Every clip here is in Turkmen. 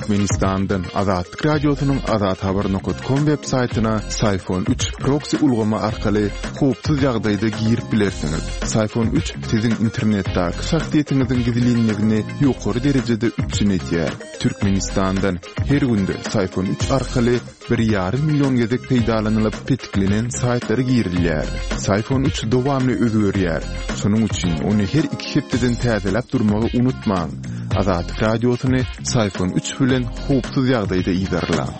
Türkmenistandan Azatlyk Radiosynyň azathabar nokat kom web saýtyna Syfon 3 proksi ulgamy arkaly howpsuz ýagdaýda girip bilersiňiz. Syfon 3 siziň internetdäki şahsyýetiňiziň gizlinligini ýokary derejede üpjün edýär. Türkmenistandan her günde Syfon 3 arkaly bir ýarym million gezek peýdalanylyp petiklenen saýtlara girilýär. Syfon 3 dowamly özgerýär. Şonuň üçin ony her iki hepdeden täzeläp durmagy unutmaň. Azatlyk Radiosyny Syfon 3 bilen howpsuz ýagdaýda yzarlaň.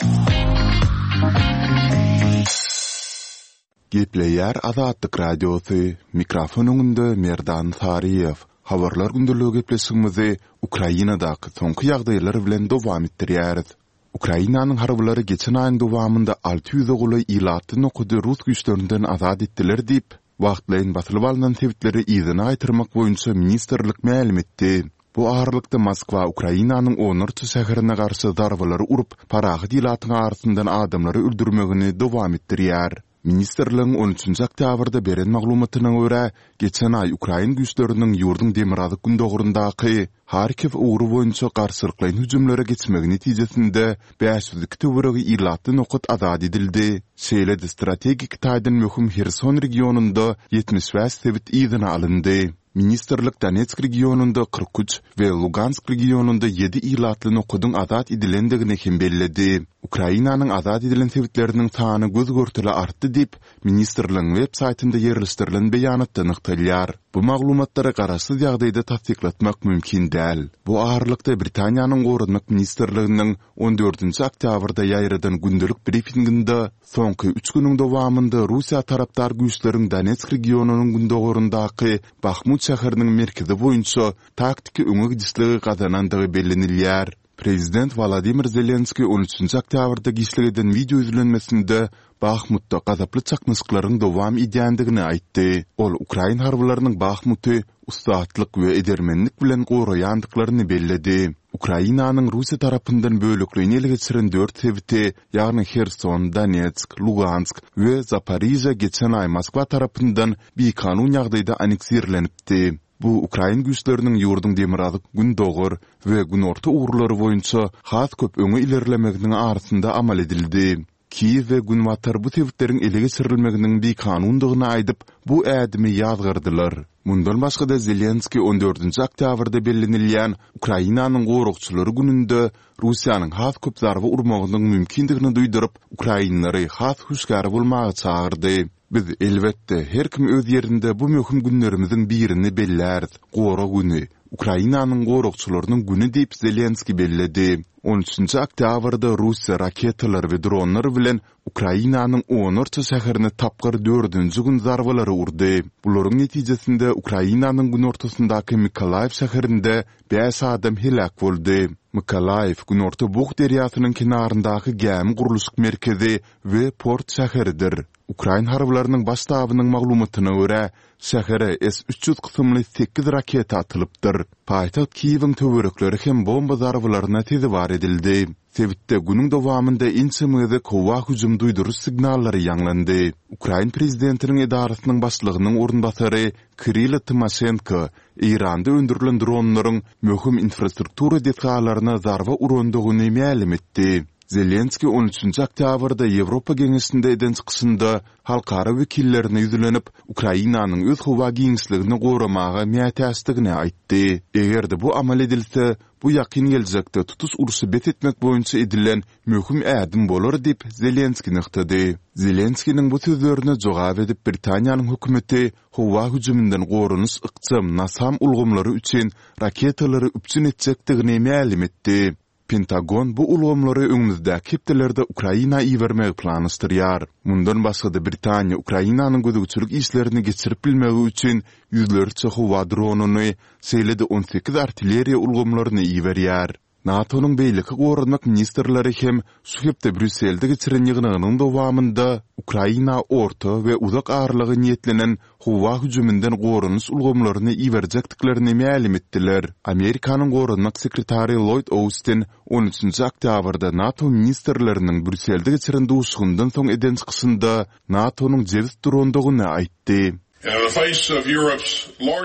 Gepleýär Azatlyk Radiosy, mikrofon öňünde Merdan Saryýew. Habarlar gündeligi gepleşigimizi Ukrainadaky soňky ýagdaýlar bilen dowam etdirýäris. Ukrainanyň harbylary geçen aýyň dowamynda 600-e golaý ilatly nokady rus güýçlerinden azat etdiler diýip, wagtlaýyn basylyp alnan sebitleri yzyna gaýtarmak boýunça ministrlik mälim etdi. Bu aralykda Moskwa Ukrainanyň onlarça şäherine garşy zarbalary urup, parahat ilatyň arasyndan adamlary öldürmegini dowam etdirýär. Ministrligiň on üçünji oktýabrda beren maglumatyna görä, geçen aý ukrain güýçleriniň ýurduň demirgazyk-gündogaryndaky Harkiw ugry boýunça garşylyklaýyn hüjümlere geçmegi netijesinde 502 töweregi ilatly nokat azat edildi, şeýle-de strategik taýdan möhüm Herson regionynda 75 sebit yzyna alyndy. Ministrlik Donetsk regionynda 43 we Lugansk regionynda ýedi ilatly nokadyň azat edilendigini hem belledi. Ukrainanyň azat edilen sebitleriniň sany göz-görtele artdy diýip, ministrligiň web saýtynda ýerleşdirilen beýanatda nygtalýar. Bu maglumatlary garaşsyz ýagdaýda tassyklatmak mümkin däl. Bu aralykda, Britaniýanyň Goranmak ministrliginiň on dördünji oktýabrda ýaýradan gündelik brifinginde Soňky üç günüň dowamynda Russiýa tarapdar güýçleriň Donetsk regionynyň gündogaryndaky Bahmut şäheriniň merkezi boýunça taktiki öňe gidişligi gazanandygy bellenilýär. Prezident Wolodymyr Zelenskiý on üçünji oktýabrda giçlik eden wideo ýüzlenmesinde Bahmutda gazaply çaknyşyklaryň dowam edýändigini aýtdy. Ol ukrain harbylarynyň Bahmuty ussatlyk we edermenlik bilen goraýandyklaryny belledi. Ukrainanyň Russiýa tarapyndan bölekleýin ele geçiren dört sebiti, ýagny Herson, Donetsk, Lugansk we Zaporižýa geçen aý Moskwa tarapyndan bikanun ýagdaýda anneksirlenipdi. Bu ukrain güýçleriniň ýurduň demirgazyk-gündogar we günorta ugurlary boýunça has köp öňe ilerlemeginiň arasynda amal edildi. Kiýew we Günbatar bu sebitleriň ele geçirilmeginiň bikanundygyny aýdyp, bu ädimi ýazgardylar. Mundan başga-da Zelenskiý on dördünji oktýabrda bellenilýän Ukrainanyň goragçylary gününde Russiýanyň has köp zarba urmagynyň mümkindigini duýduryp, ukrainlary has hüşgär bolmaga çagyrdy. Biz, elbetde, her kim öz ýerinde bu möhüm günlerimiziň birini belläris, Gorag güni, Ukrainanyň goragçylarynyň güni diýip, Zelenskiý belledi. On üçünji oktýabrda Russiýa raketalar we dronlar bilen Ukrainanyň onlarça şäherine tapgyr dördünji gün zarbalary urdy. Bularyň netijesinde Ukrainanyň günortasyndaky Mykolaýiw şäherinde bäş adam heläk boldy. Mykolaýiw Günorta Bug derýasynyň kenaryndaky gämi gurluşyk merkezi we port şäheridir. Ukrain harbylarynyň baş ştabynyň maglumatyna görä, Şähere S 300 kysymly sekiz raketa atylypdyr. Paýtagt Kiýewiň töwerekleri hem bomba zarbalaryna sezewar edildi. Sebitde günüň dowamynda ençeme gezek howa hüjüm duýduryş signallary ýaňlandy. Ukrain prezidentiniň edarasynyň başlygynyň orunbasary Kirilo Tymoşenko Eýranda öndürilen dronlaryň möhüm infrastruktura desgalaryna zarba urandygyny mälim etdi. Zelenskiý on üçünji oktýabrda Ýewropa Geňeşinde eden çykyşynda halkara wekillerine ýüzlenip, Ukrainanyň öz howa giňişligini goramaga mätäçdigini aýtdy. Eger-de bu amal edilse, bu ýakyn geljekde tutuş urşy bes etmek boýunça edilen möhüm ädim bolar diýip, Zelenskiý nygtady. Zelenskiniň bu sözlerine jogap edip, Britaniýanyň hökümeti howa hüjüminden goranyş ykjam NASAM ulgamlary üçin raketalary üpjün etjekdigini mälim etdi. Pentagon bu ulgamlary öňümizdäki hepdelerde Ukraina ibermegi planlaşdyrýar. Mundan başga-da Britaniýa Ukrainanyň gözegçilik işlerini geçirip bilmegi üçin ýüzlerçe howa dronyny, şeýle-de on sekiz artilleriýa ulgamlaryny iberýär. NATO-nyň beýleki goranmak ministrleri hem şu hepde Brýusselde geçiren ýygnagynyň dowamynda Ukraina orta we uzak aralyga niýetlenen howa hüjüminden goranyş ulgamlaryny iberjekdiklerini mälim etdiler. Amerikanyň goranmak sekretary Lloýd Austin on üçünji oktýabrda NATO ministrleriniň Brýusselde geçiren duşuşygyndan soň eden çykyşynda NATO-nyň jebis durandygyny aýtdy.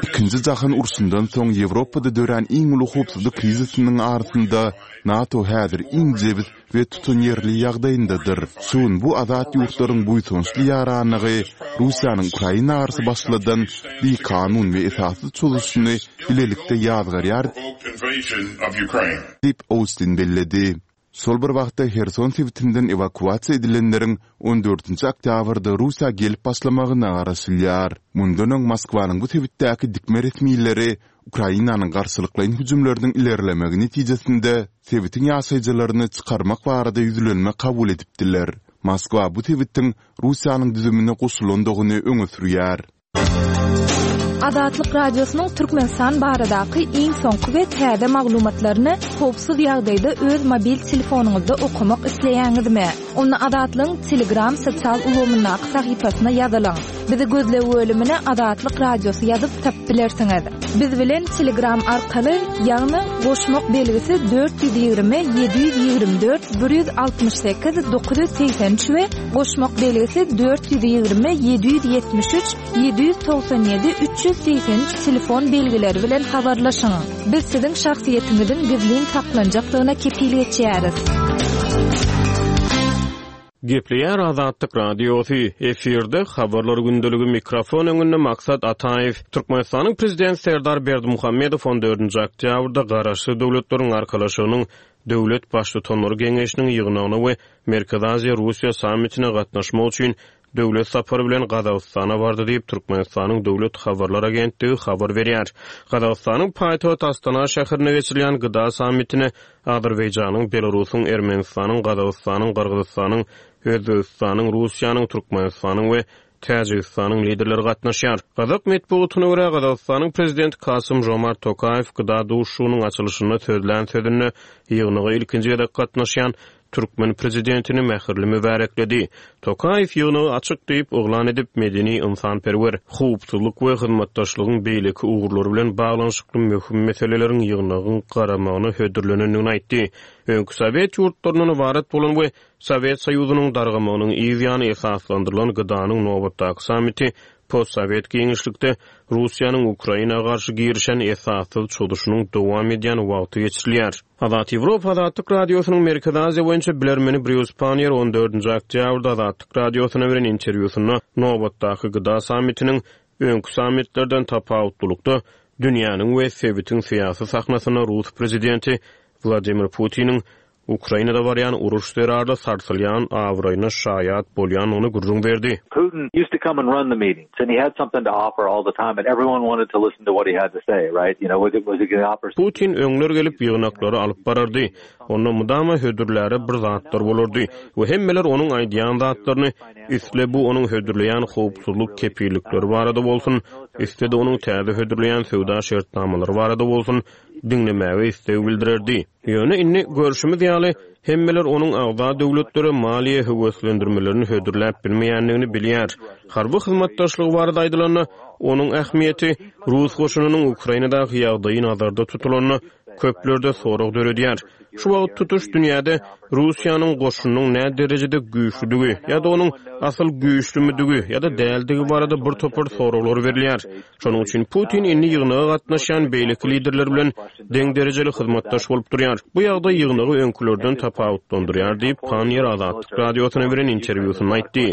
Ikinji jahan urşundan soň Ýewropada dörän iň uly howpsuzlyk krizisiniň arasynda NATO häzir iň jebis we tutanýerli ýagdaýyndadyr. Şu gün bu azat ýurtlaryň buýsançly ýaranlygy Russiýanyň Ukraina garşy başladan bikanun we esassyz çozuşyny bilelikde ýazgarýar diýip, Austin belledi. Şol bir wagtda, Herson sebitinden ewakuasiýa edilenleriň on dördünji oktýabrda Russiýa gelip başlamagyna garaşylýar. Mundan öň Moskwanyň bu sebitdäki dikme resmileri Ukrainanyň garşylyklaýyn hüjümleriniň ilerlemegi netijesinde sebitiň ýaşaýjylaryny çykarmak barada ýüzlenme kabul edipdiler. Moskwa bu sebitiň Russiýanyň düzümine goşulandygyny öňe sürýär. Azatlyk Radiosynyň Türkmenistan baradaky iň soňky we täze maglumatlaryny howpsuz ýagdaýda öz mobil telefonyňyzda okamak isleýäňizmi? Onda Azatlygyň Telegram sosial ulgamyndaky sahypasyna ýazylyň. Bizi gözleg bölümine Azatlyk Radiosy ýazyp tapyp bilersiňiz. Biz bilen Telegram arkaly, ýagny goşmak belgisi 420 724 168 983 we goşmak belgisi 420 773 797 383 telefon belgileri bilen habarlaşyň. Biz siziň şahsyýetiňiziň gizlin saklanjakdygyna kepil geçýäris. Gepleýär Azatlyk Radiosy, efirde Habarlar gündeligi mikrofon öňünde Maksat Ataýew. Türkmenistanyň Prezidenti Serdar Berdimuhamedow on dördünji oktýabrda Garaşsyz Döwletleriň Arkalaşygynyň Döwlet Baştutanlary Geňeşiniň ýygnagyna we Merkezi Aziýa-Russiýa sammitine gatnaşmak üçin döwlet sapary bilen Gazagystana bardy diýip, Türkmenistanyň Döwlet habarlar agentligi habar berýär. Gazagystanyň paýtagty Astana şäherinde geçirilýän GDA sammitine Azerbaýjanyň, Belarusyň, Ermenistanyň, Gazagystanyň, Gyrgyzystanyň, Özbegistanyň, Russiýanyň, Türkmenistanyň we Täjigistanyň liderleri gatnaşýar. Gazak metbugatyna görä, Gazagystanyň Prezidenti Kasym-Žomart Tokaýew GDA duşuşygynyň açylyşynda sözlän sözünde ýygnaga ilkinji gezek gatnaşýan türkmen prezidentini mähirli mübärekledi. Tokaýew ýygnagy açyk diýip yglan edip, medeni-ynsanperwer, howpsuzlyk we hyzmatdaşlygyň beýleki ugurlary bilen baglanyşykly möhüm meseleleriň ýygnagyň garamagyna hödürlenendigini aýtdy. Öňki sowet ýurtlaryndan ybarat bolan we Sowet Soýuzynyň dargamagynyň yz ýany esaslandyrylan GDA-nyň nobatdaky sammiti postsowet giňişlikde Russiýanyň Ukraina garşy girişen esassyz çozuşynyň dowam edýän wagty geçirilýär. Azat Ýewropa Azatlyk Radiosynyň Merkezi Aziýa boýunça bilermeni Brýus Panniýer on dördünji oktýabrda Azatlyk Radiosyna beren interwýusynda nobatdaky GDA sammitiniň öňki sammitlerden tapawutlylykda dünýäniň we sebitiň syýasy sahnasynda rus prezidenti Wladimir Putiniň Ukrainada barýan uruş zerarly sarsylýan abraýyna şaýat bolýandygyny gürrüň berdi. Putin used to come and run the meetings and he had something to offer all the time and everyone wanted to listen to what he had to say, right? You know, was it was he gonna offer Putin öňler gelip ýygnaklary alyp barardy. Onda mydama hödürläre bir zatlar bolardy we hemmeler onuň aýdýan zatlaryny, isle bu onuň hödürleýän howpsuzlyk kepillikleri barada bolsun, isle-de onuň täze hödürleýän söwda şertnamalary barada bolsun, diňlemäge isleg bildirerdi. Ýöne indi, görşümiz ýaly, hemmeler onuň agza döwletlere maliýe höweslendirmelerini hödürläp bilmeýändigini bilýär. Harby hyzmatdaşlygy barada aýdylanda, onuň ähmiýeti, rus goşunynyň Ukrainadaky ýagdaýy nazarda tutulanda, köplerde sorag döredýär. Şu wagt tutuş dünýäde Russiýanyň goşunynyň nä derejede güýçlüdigi ýa-da onuň asyl güýçlümidigi ýa-da däldigi barada bir topar soraglar berilýär. Şonuň üçin Putin indi ýygnaga gatnaşýan beýleki liderler bilen deň derejeli hyzmatdaş bolup durýar. Bu ýagdaý ýygnagy öňkülerden tapawutlandyrýar diýip, Panniýer Azatlyk Radiosyna beren interwýusynda aýtdy.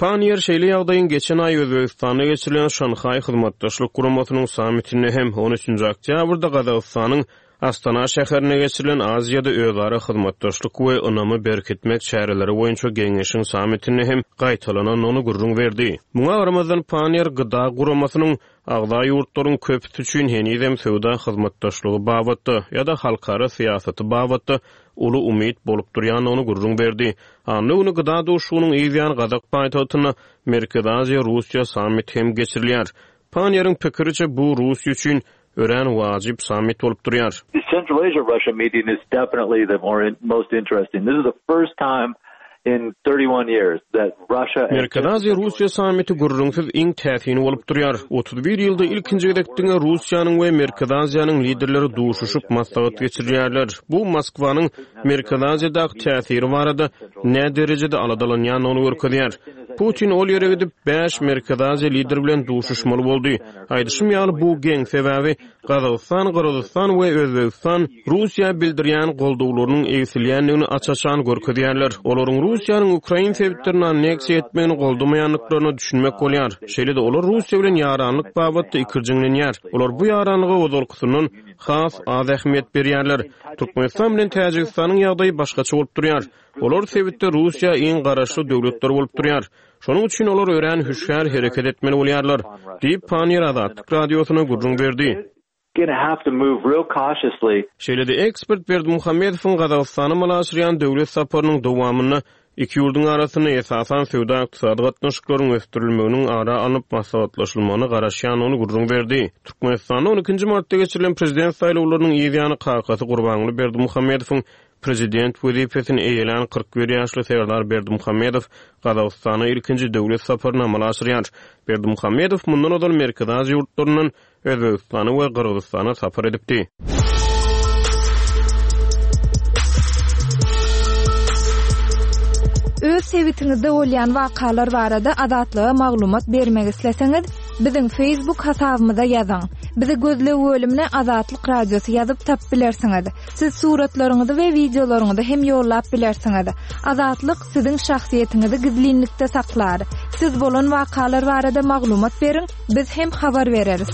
Panniýer şeýle ýagdaýyň geçen aý Özbegistanda geçirilen Şanhaý Hyzmatdaşlyk Guramasynyň sammitinde hem, on üçünji oktýabrda Gazagystanyň Astana şäherinde geçirilen Aziýada özara hyzmatdaşlyk we ynamy berkitmek çäreleri boýunça geňeşiň sammitinde hem gaýtalanandygyny gürrüň berdi. Muňa garamazdan, Panniýer GDA guramasynyň agza ýurtlaryň köpüsi üçin henizem söwda hyzmatdaşlygy babatda ýa-da halkara syýasaty babatda uly umyt bolup durýandygyny gürrüň berdi. Anna güni GDA duşuşygynyň yz ýany gazak paýtagtynda Merkezi Aziýa-Russiýa sammiti hem geçirilýär. Panniýeriň pikiriçe, bu Russiýa üçin örän wajyp sammit bolup durýar. The Central Asia-Russia meeting is definitely the more most interesting. This is the first time. In 31 years that Russia and Merkezi Aziýa-Russiýa sammiti gürrüňsiz iň täsini bolup durýar. 31 ýylda ilkinji gezek diňe Russiýanyň we Merkezi Aziýanyň liderleri duşuşyp, maslahat geçirýärler. Bu Moskwanyň Merkezi Aziýadaky täsiri barada näderejede aladalanýandygyny görkezýär. Putin ol ýere gidip, bäş Merkezi Aziýa lideri bilen duşuşmaly boldy. Aýdyşym ýaly, bu geň, sebäbi Gazagystan, Gyrgyzystan we Özbegistan Russiýa bildirýän goldawlarynyň egsilýändigini aç-açan görkezýärler. Olaryň Russiýanyň ukrain sebitlerini anneksiýa etmegini goldamaýandyklaryna düşünmek bolýar. Şeýle-de olar Russiýa bilen ýaranlyk babatda ikirjiňlenýär. Olar bu ýaranlyga ozalkysyndan has az ähmiýet berýärler. Türkmenistan bilen Täjigistanyň ýagdaýy başgaça bolup durýar. Olar sebitde Russiýa iň garaşly döwletler bolup durýar. Şonuň üçin olar örän hüşgär hereket etmeli bolýarlar, diýip, Panniýer Azatlyk Radiosyna gürrüň berdi. Şeýle-de ekspert Berdimuhamedowyň Gazagystana amala aşyrýan döwlet saparynyň dowamynda iki ýurduň arasynda esasan söwda-ykdysady gatnaşyklaryň ösdürilmeginiň ara alnyp maslahatlaşylmagyna garaşýandygyny gürrüň berdi. Türkmenistanda on ikinji martda geçirilen prezident saýlawlarynyň yz ýany kakasy Gurbanguly Berdimuhamedowyň Prezident wezipesini eýelän 41 ýaşly Serdar Berdimuhamedow Gazagystana ilkinji döwlet saparyny amala aşyrýar. Berdimuhamedow mundan ozal Merkezi Aziýa ýurtlaryndan Özbegistana we Gyrgyzystana sapar edipdi. Öz sebitiňizde bolýan wakalar barada Azatlyga maglumat bermek isleseňiz, biziň Facebook hasabymyza ýazyň. Bizi gözleg bölümine Azatlyk Radiosy ýazyp tapyp bilersiňiz. Siz suratlaryňyzy we wideolaryňyzy hem ýollap bilersiňiz. Azatlyk siziň şahsyýetiňizi gizlinlikde saklar. Siz bolan wakalar barada maglumat beriň, biz hem habar bereris.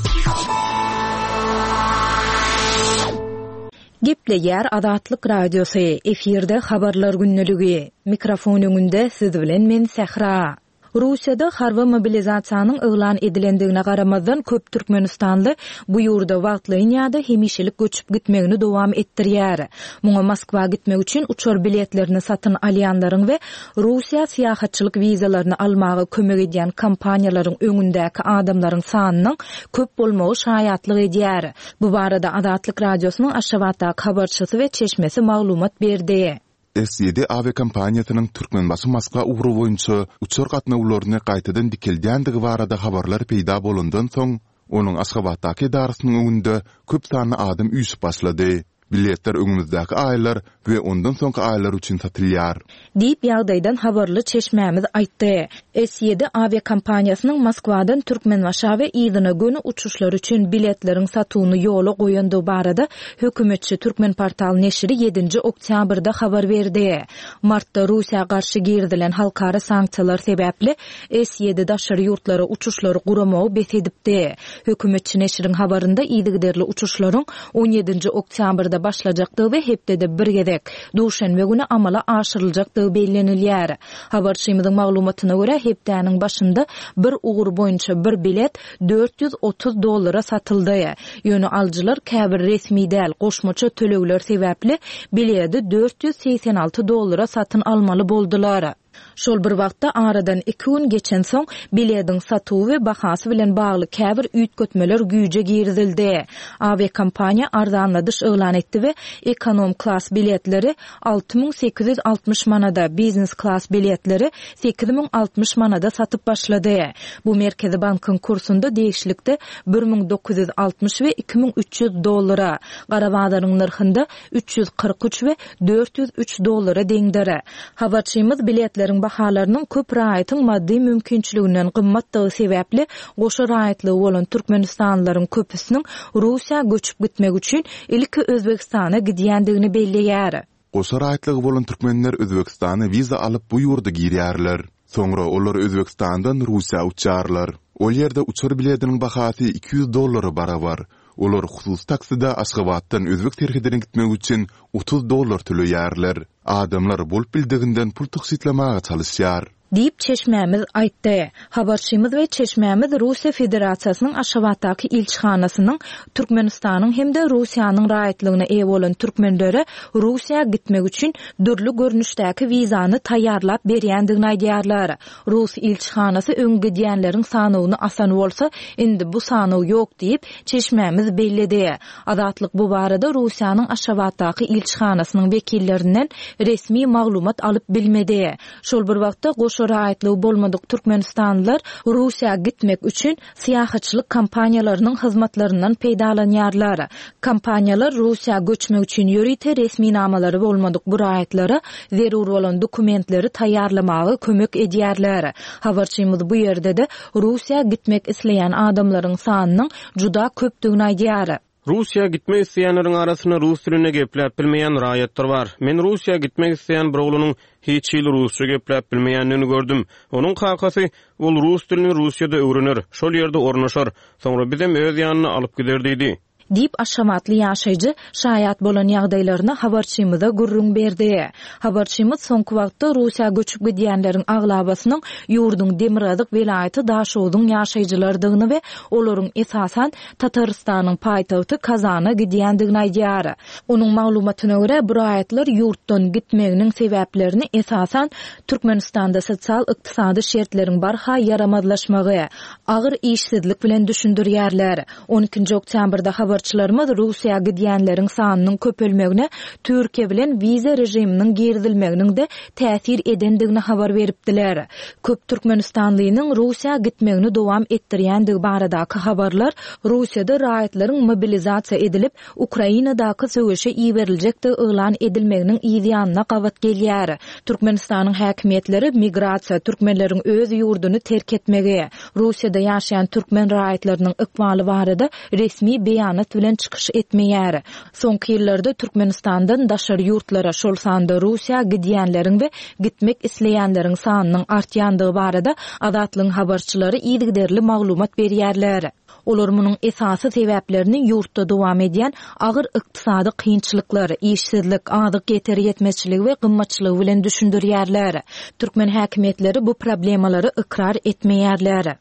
Gepleýär Azatlyk Radiosy, efirde Habarlar gündeligi. Mikrofon öňünde siz bilen men Sähra. Russiýada harby mobilizasiýanyň yglan edilendigine garamazdan, köp türkmenistanly bu ýurda wagtlaýyn ýa-da hemişelik göçüp gitmegini dowam etdirýär. Muňa Moskwa gitmek üçin uçar biletlerini satyn alýanlaryň we Russiýa syýahatçylyk wizalaryny almaga kömek edýän kompaniýalaryň öňündäki adamlaryň sanynyň köp bolmagy şaýatlyk edýär. Bu barada Azatlyk Radiosynyň Aşgabatdaky habarçysy we çeşmesi maglumat berdi. S-ýedi awiakompaniýasynyň Türkmenbaşy-Moskwa ugry boýunça uçar gatnawlaryny gaýtadan dikeldýändigi barada habarlar peýda bolandan soň, onuň Aşgabatdaky edarasynyň öňünde köp sanly adam üýşüp başlady. Biletler öňümizdäki aýlar we ondan soňky aýlar üçin satylýar. Diýip, ýagdaýdan habarly çeşmämiz aýtdy. S-ýedi awiakompaniýasynyň Moskwadan Türkmenbaşa we yzyna göni uçuşlar üçin biletleriň satuwyny ýola goýandygy barada hökümetçi Türkmenportal neşiri ýedinji oktýabrda habar berdi. Martda Russiýa garşy girizilen halkara sanksiýalar sebäpli S-ýedi daşary ýurtlara uçuşlary guramagy bes edipdi. Hökümetçi neşiriň habarynda yzygiderli uçuşlaryň on ýedinji oktýabrda başlajakdygy we hepdede bir gezek, duşenbe güni amala aşyryljakdygy bellenilýär. Habarçymyzyň maglumatyna görä, hepdäniň başynda bir ugur boýunça bir bilet 430 dollara satyldy. Ýöne alyjylar käbir resmi däl goşmaça tölegler sebäpli biledi 486 dollara satyn almaly boldular. Şol bir wagtda, aradan iki gün geçensoň, bilediň satuwy we bahasy bilen bagly käbir üýtgetmeler güýje girizildi. Awiakompaniýa arzanladyş yglan etdi we ekonom klas biletleri 6860 manada, biznes klas biletleri 8060 manada satyp başlady. Bu Merkezi bankyň kursunda degişlikde 1960 we 2300 dollara, gara bazaryň nyrhynda 343 we 403 dollara deňdir. Habarçymyz biletleriň bahalarynyň köp raýatyň maddy mümkinçiliginden gymmatdygy sebäpli goşa raýatlygy bolan türkmenistanlylaryň köpüsiniň Russiýa göçüp gitmek üçin ilki Özbegistana gidýändigini belleýär. Goşa raýatlygy bolan türkmenler Özbegistana wiza alyp bu ýurda girýärler. Soňra olar Özbegistandan Russiýa uçýarlar. Ol ýerde uçar bilediniň bahasy 200 dollara barabar. Olar hususy takside Aşgabatdan özbek serhedine gitmek üçin 30 dollar töleýärler. Adamlar bolup bildiginden pul tygşytlamaga çalyşýar. Diýip, çeşmämiz aýtdy. Habarçymyz we çeşmämiz Russiýa Federasiýasynyň Aşgabatdaky ilçihanasynyň Türkmenistanyň hem-de Russiýanyň raýatlygyna eýe bolan türkmenlere Russiýa gitmek üçin dürli görnüşdäki wizany taýýarlap berýändigini aýdýarlar. Rus ilçihanasy öň gidýänleriň sanawyny asan bolsa, indi bu sanaw ýok diýip, çeşmämiz belledi. Azatlyk bu barada Russiýanyň Aşgabatdaky ilçihanasynyň wekillerinden resmi maglumat alyp bilmedi. Şol bir wagtda, goşa raýatlygy bolmadyk türkmenistanlylar Russiýa gitmek üçin syýahatçylyk kompaniýalarynyň hyzmatlaryndan peýdalanýarlar. Kompaniýalar Russiýa göçmek üçin ýörite resminamalary bolmadyk bu raýatlara zerur bolan dokumentleri taýýarlamaga kömek edýärler. Habarçymyz bu ýerde-de Russiýa gitmek isleýän adamlaryň sanynyň juda köpdügini aýdýar. Russiýa gitmek isleýänleriň arasynda rus dilinde gepläp bilmeýän raýatlar bar. Men Russiýa gitmek isleýän bir oglanyň hiç hili rusça gepläp bilmeýändigini gördüm. Onuň kakasy, Ol rus dilini Russiýada öwrener, şol ýerde ornaşar, soňra bizem öz ýanyna alyp gider diýdi. Diýip, aşgabatly ýaşaýjy şaýat bolan ýagdaýlaryny habarçymyza gürrüň berdi. Habarçymyz soňky wagtda Russiýa göçüp gidýänleriň aglabasynyň ýurduň demirgazyk welaýaty Daşogzuň ýaşaýjylarydygyny we olaryň esasan Tatarystanyň paýtagty Kazana gidýändigini aýdýar. Onuň maglumatyna görä, bu raýatlar ýurtdan gitmeginiň sebäplerini esasan Türkmenistanda sosial-ykdysady şertleriň barha ýaramazlaşmagy, agyr işsizlik bilen düşündirýärler. On ikinji oktýabrda habarçylarymyz Russiýa gidýänleriň sanynyň köpelmegine Türkiýe bilen wiza režiminiň girizilmeginiň-de täsir edendigini habar beripdiler. Köp türkmenistanlynyň Russiýa gitmegini dowam etdirýändigi baradaky habarlar Russiýada raýatlaryň mobilizasiýa edilip, Ukrainadaky söweşe iberiljekdigi yglan edilmeginiň yz ýanyna gabat gelýär. Türkmenistanyň häkimiýetleri migrasiýa, türkmenleriň öz ýurduny terk etmegi, Russiýada ýaşaýan türkmen raýatlarynyň ykbaly barada resmi beýanat bilen çykyş etmeýär. Soňky ýyllarda Türkmenistandan daşary ýurtlara, şol sanda Russiýa gidýänleriň we gitmek isleýänleriň sanynyň artýandygy barada Azatlygyň habarçylary yzygiderli maglumat berýärler. Olar munuň esasy sebäplerini ýurtda dowam edýän agyr ykdysady kynçylyklar, işsizlik, azyk ýeter-ýetmezçiligi we gymmatçylygy bilen düşündirýärler. Türkmen häkimiýetleri bu problemalary ykrar etmeýärler.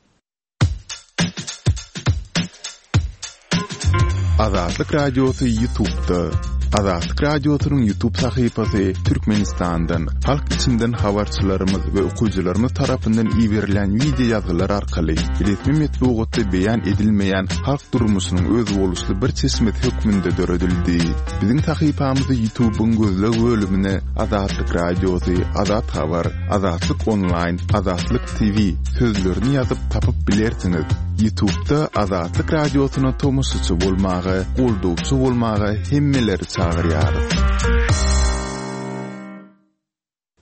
Azatlyk Radiosy Ýutubda. Azatlyk Radiosynyň Ýutub sahypasy Türkmenistandan, halk içinden habarçylarymyz we okyjylarymyz tarapyndan iberilen wideo ýazgylar arkaly resmi metbugatda beýan edilmeýän halk durmuşynyň özboluşly bir çeşmesi hökmünde döredildi. Biziň sahypamyzy Ýutubyň gözleg bölümine Azatlyk Radiosy, Azat Habar, Azatlyk Onlaýn, Azatlyk TV sözlerini ýazyp tapyp bilersiňiz. Ýutubda Azatlyk Radiosyna tomaşaçy bolmaga, goldawçy bolmaga hemmeleri çagyrýarys.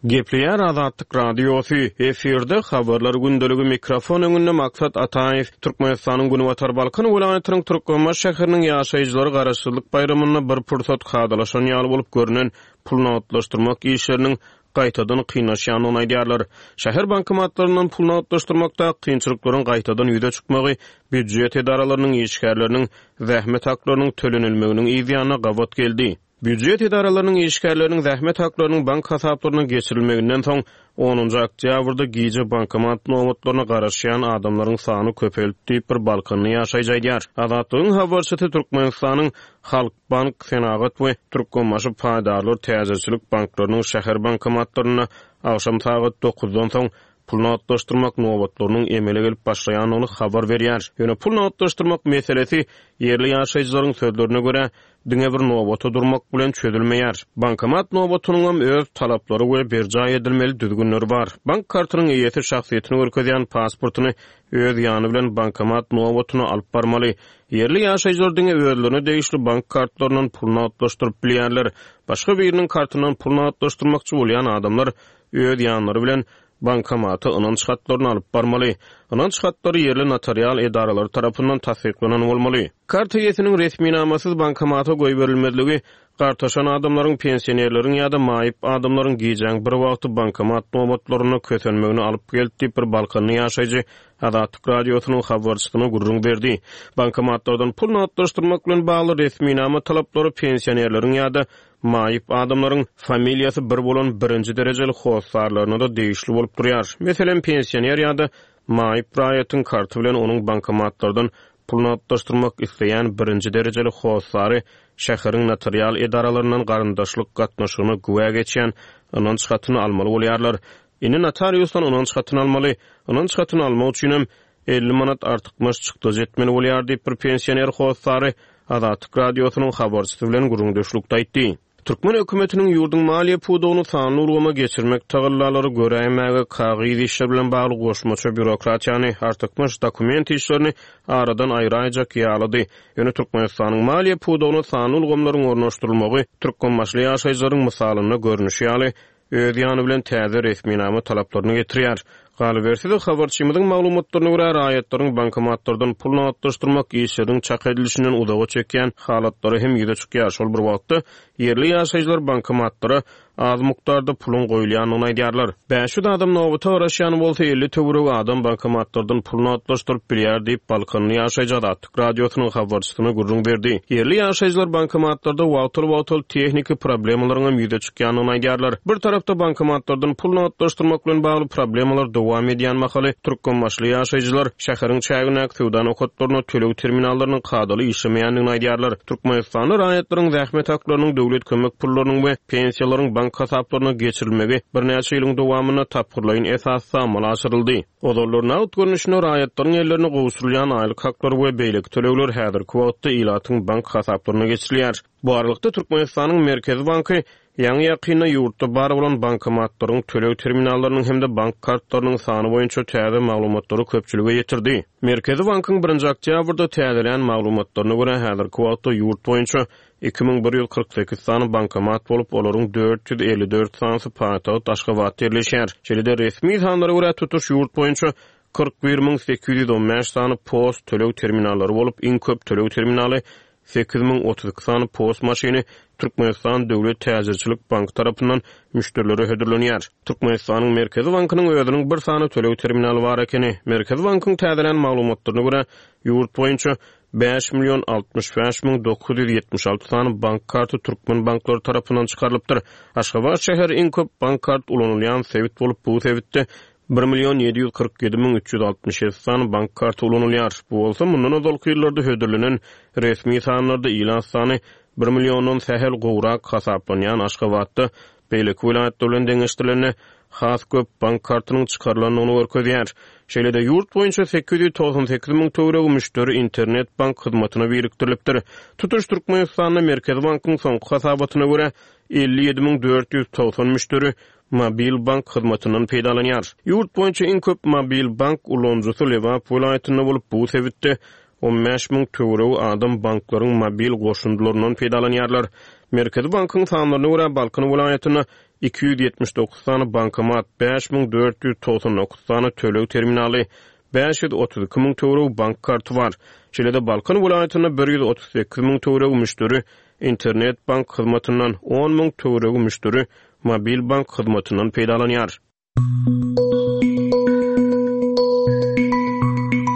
Gepleýär Azatlyk Radiosy, efirde Habarlar gündeligi mikrofon öňünde Maksat Ataýew, Türkmenistanyň Günbatar Balkan welaýatynyň Türkmenbaşy şäheriniň ýaşaýjylary Garaşsyzlyk baýramynda bir pursat kadalaşan ýaly bolup görnen pul nagtlaşdyrmak işleriniň gaýtadan kynlaşýandygyny aýdýarlar. Şäher bankomatlaryndan pul nagtlaşdyrmakda kynçylyklaryň gaýtadan ýüze çykmagy býujet edaralarynyň işgärleriniň zähmet haklarynyň tölenilmeginiň yzýanyna gabat geldi. Býujet edaralarynyň işgärleriniň zähmet haklarynyň bank hasaplaryna geçirilmeginden soň, onunjy oktýabrda gije bankomat nobatlaryna garaşýan adamlaryň sany köpeldi diýip, bir balkanly ýaşaýjy aýdýar. Azatlygyň habarçysy Türkmenistanyň Halk bank, Senagat we Türkmenbaşy paýdarlar täjirçilik banklarynyň şäher bankomatlarynda agşam sagat dokuzdan soň pul nagtlaşdyrmak nobatlarynyň emele gelip başlaýandygyny habar berýär. Ýöne pul nagtlaşdyrmak meselesi, ýerli ýaşaýjylaryň sözlerine görä, diňe bir nobata durmak bilen çözülmeýär. Bankomat nobatynyňam öz talaplary we berjaý edilmeli düzgünleri bar. Bank kartynyň eýesi şahsyýetini görkezýän pasportyny öz ýany bilen bankomat nobatyna alyp barmaly. Ýerli ýaşaýjylar diňe özlerine degişli bank kartlaryndan pul nagtlaşdyryp bilýärler. Başga biriniň kartyndan pul nagtlaşdyrmakçy bolýan adamlar öz ýanlary bilen bankomata ynanç hatlaryny alyp barmaly. Ynanç hatlary ýerli notarial edaralary tarapyndan tassyklanan bolmaly. Kart eýesiniň resminamasyz bankomata goýberilmezligi Gartaşan adamlaryň, pensionerleriň ýa-da maýyp adamlaryň gijäň bir wagty bankomat nobatlarynda kösenmegine alyp geldi diýip, bir balkanly ýaşaýjy Azatlyk Radiosynyň habarçysyna gürrüň berdi. Bankomatlardan pul nagtlaşdyrmak bilen bagly resminama talaplary pensionerleriň ýa-da. maýyp adamlaryň familiýasy bir bolan birinji derejeli hossarlaryna-da degişli bolup durýar. Meselem, pensioner ýa-da maýyp raýatyň karty bilen onuň bankomatlardan pul nagtlaşdyrmak isleýän birinji derejeli hossary şäheriň notarial edaralaryndan garyndaşlyk gatnaşygyna güwä geçýän ynanç hatyny almaly bolýarlar. Indi notariusdan ynanç hatyny almaly. Ynanç hatyny almak üçinem 50 manat artykmaç çykdajy etmeli bolýar diýip, bir pensioner hossary Azatlyk Radiosynyň habarçysy bilen gürrüňdeşlikde aýtdy. Türkmen hökümetiniň ýurduň maliýe pudagyny sanly ulgama geçirmek tagallalary göräýmäge kagyz işler bilen bagly goşmaça býurokratiýany, artykmaç dokument işlerini aradan aýraýjak ýalydy. Ýöne Türkmenistanyň maliýe pudagyna sanly ulgamlaryň ornaşdyrylmagy türkmenbaşyly ýaşaýjylaryň mysalynda görnüşi ýaly, öz ýany bilen täze resminama talaplaryny getirýär. Galyberse-de, habarçymyzyň maglumatlaryna görä, raýatlaryň bankomatlardan pul nagtlaşdyrmak işleriniň çak edilişinden uzaga çekýän halatlary hem ýüze çykýar. Şol bir wagtda, ýerli ýaşaýjylar bankomatlara az mukdarda puluň goýulýandygyny aýdýarlar. 500 adam nobata garaşýan bolsa, 50 töweregi adam bankomatlardan pul nagtlaşdyryp bilýär diýip, balkanly ýaşaýjy Azatlyk Radiosynyň habarçysyna gürrüň berdi. Ýerli ýaşaýjylar bankomatlarda wagtal-wagtal tehniki problemalaryň hem ýüze çykýandygyny aýdýarlar. Bir tarapda bankomatlardan pul nagtlaşdyrmak bilen bagly problemalar dowam edýän mahaly, türkmenbaşyly ýaşaýjylar şäheriň çägindäki söwda nokatlarynda töleg terminallarynyň kadaly işlemeýändigini aýdýarlar. Türkmenistanda raýatlaryň zähmet haklarynyň döwlet kömek pullarynyň we pensiýalaryň bank hasaplaryna geçirilmegi birnäçe ýylyň dowamynda tapgyrlaýyn esasda amala aşyryldy. Ozallar nagt görnüşinde raýatlaryň ellerine gowşurylýan aýlyk haklary we beýleki tölegler häzirki wagtda ilatyň bank hasaplaryna geçirilýär. Bu aralykda, Türkmenistanyň Merkezi banky ýaňy-ýakynda ýurtda bar bolan bankomatlaryň, töleg terminallarynyň hem-de bank kartlarynyň sany boýunça täze maglumatlary köpçülige ýetirdi. Merkezi bankyň birinji oktýabrda täzelän maglumatlaryna görä, häzirki wagtda ýurt boýunça 2148 sany bankomat bolup, olaryň 454 sanysy paýtagt Aşgabatda ýerleşýär. Şeýle-de, resmi sanlara görä, tutuş ýurt boýunça 41 815 sany post töleg terminallary bolup, iň köp töleg terminaly 8032 sany post maşyny Türkmenistan döwlet täjirçilik banky tarapyndan müşderilere hödürlenýär. Türkmenistanyň Merkezi bankynyň özüniň bir sany töleg terminaly bar ekeni. Merkezi bankyň täzelän maglumatlaryna görä, ýurt boýunça 5 065 976 sany bank karty türkmen banklary tarapyndan çykarylypdyr. Aşgabat şäheri iň köp bank kart ulanylýan sebit bolup, bu sebitde 1 747 367 sany bank karty ulanylýar. Bu bolsa mundan ozalky ýyllarda hödürlenen resmi sanlarda ilat sany bir milliondan sähel gowrak hasaplanýan Aşgabatda beýleki welaýatlar bilen deňeşdirilende has köp bank kartynyň çykarylandygyny görkezýär. Şeýle-de, ýurt boýunça 898 müň töweregi müşderi internet-bank hyzmatyna birikdirilipdir. Tutuş Türkmenistanda Merkezi bankyň soňky hasabatyna görä, 57 490 müşderi mobil bank hyzmatyndan peýdalanýar. Ýurt boýunça iň köp mobil bank ulanyjysy Lebap welaýatynda bolup, bu sebitde 15 müň töweregi adam banklaryň mobil goşundylaryndan peýdalanýarlar. Merkezi bankyň sanlaryna görä, Balkan welaýatynda 279 sany bankomat, 5499 sany töleg terminaly, 532 müň töweregi bank karty bar. Şeýle-de Balkan welaýatynda 138 müň töweregi müşderi internet bank hyzmatyndan, on müň töweregi müşderi mobil bank hyzmatyndan peýdalanýar.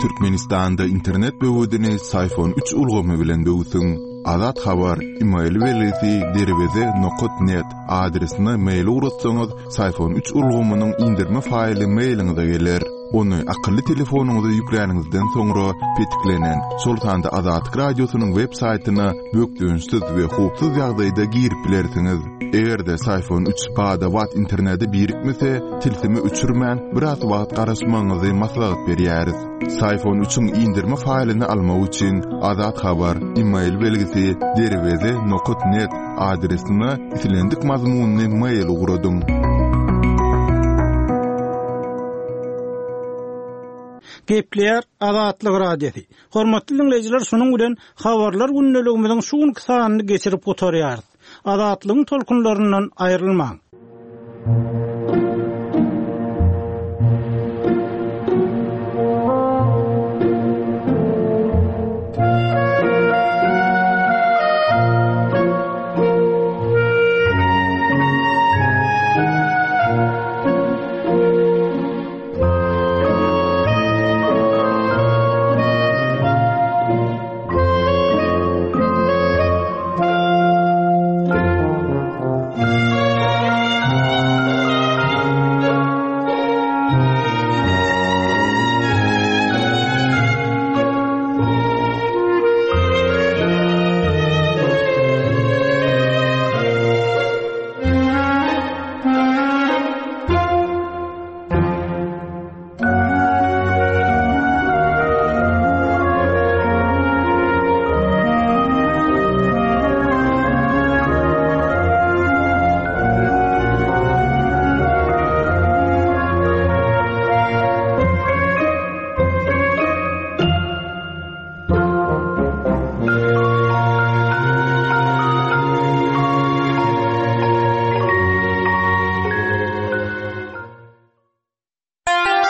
Türkmenistanda internet böwedini Syfon üç ulgamy bilen böwsüň. Azat Habar, email belgisi derweze nokat net adresine mail ugratsaňyz, Syfon üç ulgamynyň indirme faýly mailiňize geler. Ony akylly telefonyňyza ýükläniňizden soňra petiklenen, şol sanda Azatlyk Radiosynyň web saýtyna bökdençsiz we howpsuz ýagdaýda girip bilersiňiz. Eger-de Syfon üç bada-bat internete birikmese, tilsimi öçürmän, biraz wagt garaşmagyňyzy maslahat berýäris. Syfon üçiň indirme faýlyny almak üçin Azat Habar, email belgisi derweze nokat net adresine islendik mazmunly mail ugradyň. Gepleýär Azatlyk Radiosy. Hormatly diňleýjiler, şunuň bilen Habarlar gündeligimiziň şu günki sanyny geçirip gutarýarys. Azatlygyň tolkunlaryndan aýrylmaň!